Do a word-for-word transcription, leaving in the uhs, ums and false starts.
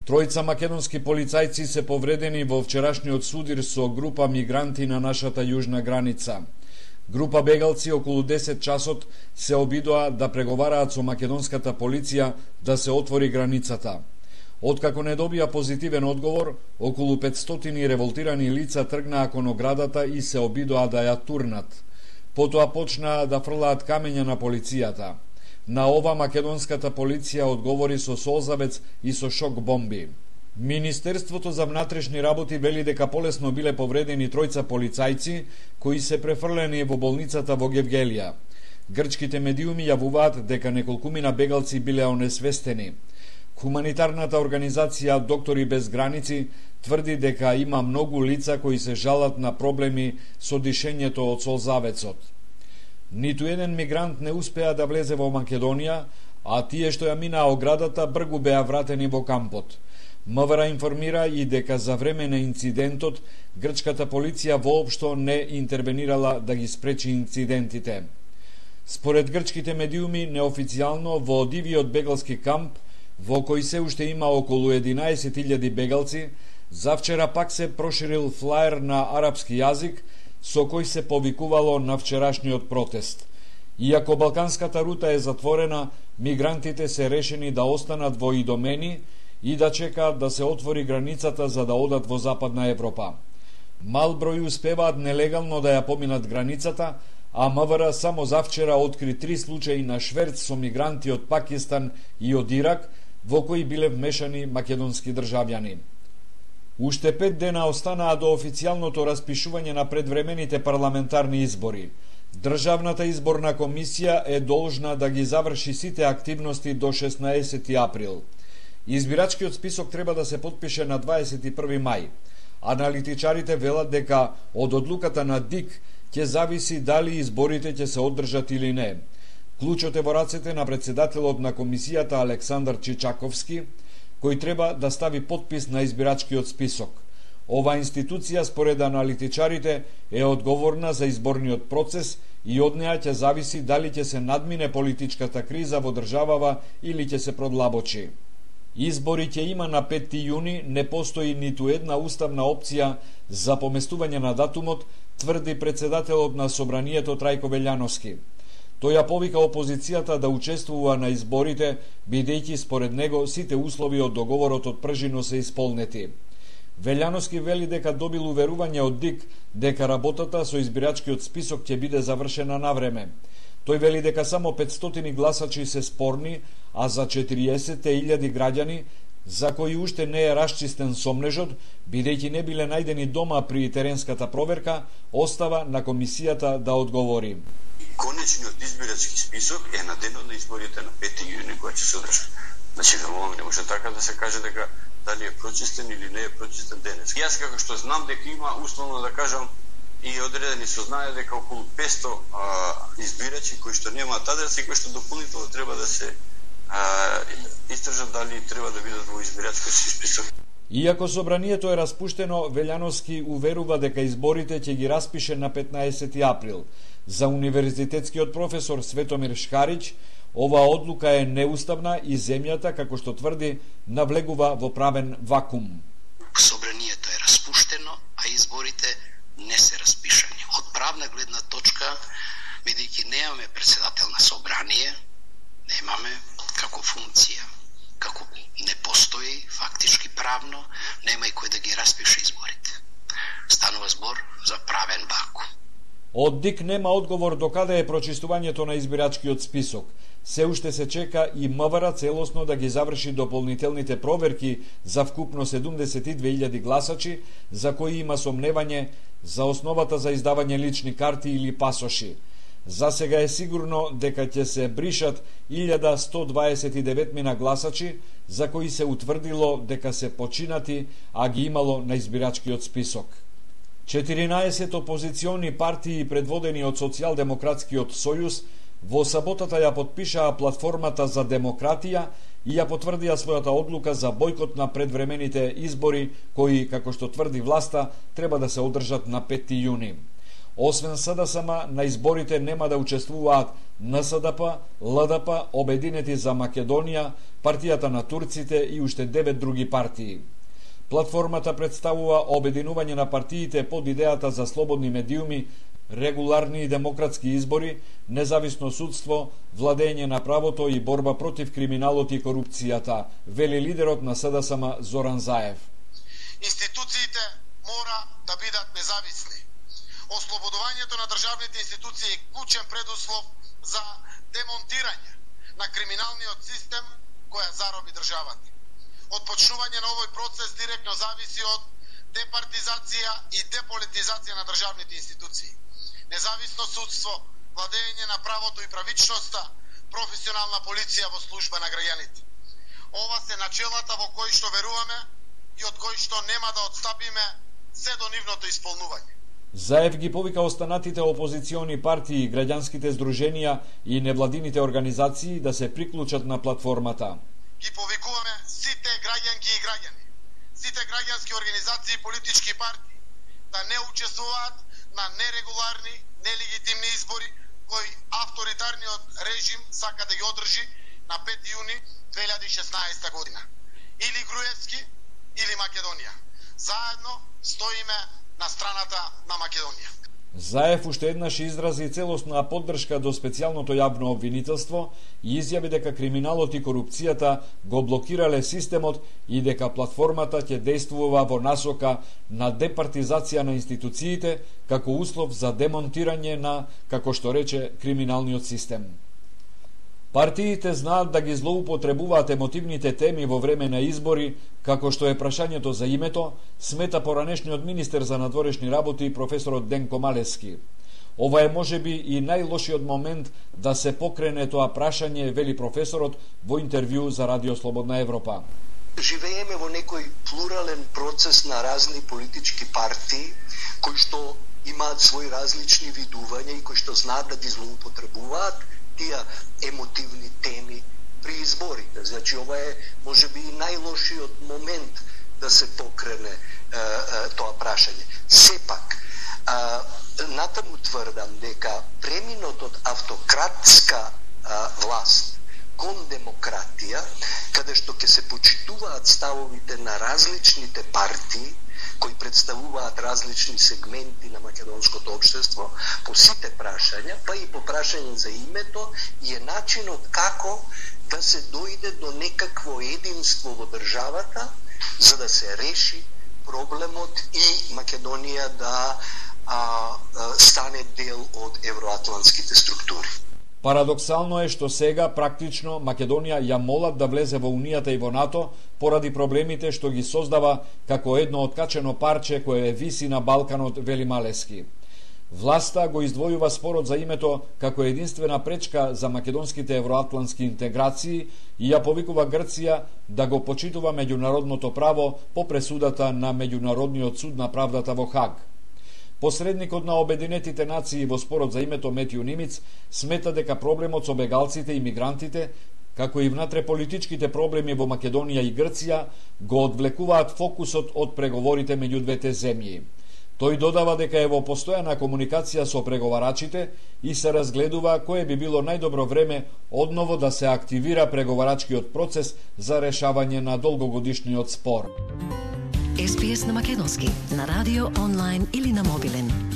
Тројца македонски полицајци се повредени во вчерашниот судир со група мигранти на нашата јужна граница. Група бегалци околу десет часот се обидоа да преговараат со македонската полиција да се отвори границата. Откако не добија позитивен одговор, околу петстотини револтирани лица тргнаа кон оградата и се обидоа да ја турнат. Потоа почнаа да фрлаат камења на полицијата. На ова македонската полиција одговори со солзавец и со шок бомби. Министерството за внатрешни работи вели дека полесно биле повредени тројца полицајци кои се префрлени во болницата во Гевгелија. Грчките медиуми јавуваат дека неколкумина бегалци биле онесвестени. Хуманитарната организација Доктори без граници тврди дека има многу лица кои се жалат на проблеми со дишењето од солзавецот. Ниту еден мигрант не успеа да влезе во Македонија, а тие што ја минаа оградата бргу беа вратени во кампот. МВР информира и дека за време на инцидентот грчката полиција воопшто не интервенирала да ги спречи инцидентите. Според грчките медиуми, неофицијално во дивиот бегалски камп, во кој се уште има околу единаесет илјади бегалци, завчера пак се проширил флаер на арапски јазик со кој се повикувало на вчерашниот протест. Иако балканската рута е затворена, мигрантите се решени да останат во Идомени и да чекаат да се отвори границата за да одат во Западна Европа. Мал број успеваат нелегално да ја поминат границата, а МВР само завчера откри три случаи на шверц со мигранти од Пакистан и од Ирак, во кои биле вмешани македонски државјани. Уште пет дена останаа до официјалното распишување на предвремените парламентарни избори. Државната изборна комисија е должна да ги заврши сите активности до шеснаесети април. Избирачкиот список треба да се потпише на дваесет и први мај. Аналитичарите велат дека од одлуката на ДИК ќе зависи дали изборите ќе се одржат или не. Клучот е во рацете на председателот на комисијата Александар Чичаковски, кој треба да стави подпис на избирачкиот список. Ова институција, според аналитичарите, е одговорна за изборниот процес и од неа ќе зависи дали ќе се надмине политичката криза во државава или ќе се продлабочи. Избори ќе има на петти јуни, не постои ниту една уставна опција за поместување на датумот, тврди председателот на Собранието Трајко Велјановски. Тој ја повика опозицијата да учествува на изборите, бидејќи според него сите услови од договорот од пржино се исполнети. Велјановски вели дека добил уверување од ДИК дека работата со избирачкиот список ќе биде завршена на време. Тој вели дека само петстотини гласачи се спорни, а за четириесет илјади граѓани, за кои уште не е расчистен сомнежот, бидејќи не биле најдени дома при теренската проверка, остава на комисијата да одговори. Конечниот избирачки список е на денот на изборите на петти јуни која ќе се одржат. Значи, верувам, не може така да се каже дека дали е прочистен или не е прочистен денес. Јас како што знам дека има, условно да кажам, и одредени се знае дека околу петстотини а, избирачи кои што немаат адрес и кои што дополнително треба да се а, истражат дали треба да бидат во избирачкиот список. Иако собранието е распуштено, Велјановски уверува дека изборите ќе ги распише на петнаесети април. За универзитетскиот професор Светомир Шкарич, оваа одлука е неуставна и земјата, како што тврди, навлегува во правен вакуум. Собранието е распуштено, а изборите не се распишани. Од правна гледна точка, бидејќи немаме председател на собрание, немаме како функција, како не постои фактички правно, нема и кој да ги распише изборите. Станува збор за правен вакуум. Од ДИК нема одговор до каде е прочистувањето на избирачкиот список. Се уште се чека и МВР целосно да ги заврши дополнителните проверки за вкупно седумдесет и две илјади гласачи, за кои има сомневање за основата за издавање лични карти или пасоши. За сега е сигурно дека ќе се бришат илјада сто дваесет и девет мина гласачи, за кои се утврдило дека се починати, а ги имало на избирачкиот список. четиринаесет опозициони партии предводени од Социјалдемократскиот сојуз во саботата ја потпишаа платформата за демократија и ја потврдија својата одлука за бојкот на предвремените избори кои, како што тврди власта, треба да се одржат на петти јуни. Освен СДСМ, на изборите нема да учествуваат Н С Д П, Л Д П, Обединети за Македонија, партијата на турците и уште девет други партии. Платформата представува обединување на партиите под идејата за слободни медиуми, регуларни и демократски избори, независно судство, владење на правото и борба против криминалот и корупцијата, вели лидерот на С Д С М Зоран Заев. Институциите мора да бидат независни. Ослободувањето на државните институции е клучен предуслов за демонтирање на криминалниот систем која зароби државата. Отпочнување на овој процес директно зависи од департизација и деполитизација на државните институции. Независно судство, владење на правото и правичноста, професионална полиција во служба на граѓаните. Ова се начелата во кои што веруваме и од кои што нема да отстапиме се до нивното исполнување. Заев ги повика останатите опозициони партии, граѓанските здруженија и невладините организации да се приклучат на платформата. Ги повикуваме сите граѓанки и граѓани, сите граѓански организации и политички партии да не учествуваат на нерегуларни, нелегитимни избори кои авторитарниот режим сака да ги одржи на пети јуни две илјади и шеснаесета година. Или Груевски, или Македонија. Заедно стоиме на страната на Македонија. Заев уште еднаш изрази целосна поддршка до специјалното јавно обвинителство и изјави дека криминалот и корупцијата го блокирале системот и дека платформата ќе действува во насока на департизација на институциите како услов за демонтирање на, како што рече, криминалниот систем. Партиите знаат да ги злоупотребуваат емотивните теми во време на избори, како што е прашањето за името, смета поранешниот министер за надворешни работи професорот Денко Малески. Ова е можеби и најлошиот момент да се покрене тоа прашање, вели професорот во интервју за Радио Слободна Европа. Живееме во некој плурален процес на разни политички партии кои што имаат своји различни видувања и кои што знаат да ги злоупотребуваат тие емотивни теми при изборите. Значи, ова е, може би, и најлошиот момент да се покрене е, е, тоа прашање. Сепак, е, натаму тврдам дека преминот од автократска е, власт кон демократија, каде што ќе се почитуваат ставовите на различните партии, кои представуваат различни сегменти на македонското општество по сите прашања, па и по прашање за името, и е начинот како да се дојде до некакво единство во државата, за да се реши проблемот и Македонија да а, а, стане дел од евроатлантските структури. Парадоксално е што сега, практично, Македонија ја молат да влезе во Унијата и во НАТО поради проблемите што ги создава како едно откачено парче кое виси на Балканот, вели Малески. Власта го издвојува спорот за името како единствена пречка за македонските евроатлантски интеграции и ја повикува Грција да го почитува меѓународното право по пресудата на Меѓународниот суд на правдата во Хаг. Посредникот на Обединетите нации во спорот за името Метју Нимиц смета дека проблемот со бегалците и мигрантите, како и внатреполитичките проблеми во Македонија и Грција, го одвлекуваат фокусот од преговорите меѓу двете земји. Тој додава дека е во постојана комуникација со преговарачите и се разгледува кое би било најдобро време одново да се активира преговарачкиот процес за решавање на долгогодишниот спор. Ес Би Ес на македонски, на радио, онлайн или на мобилен.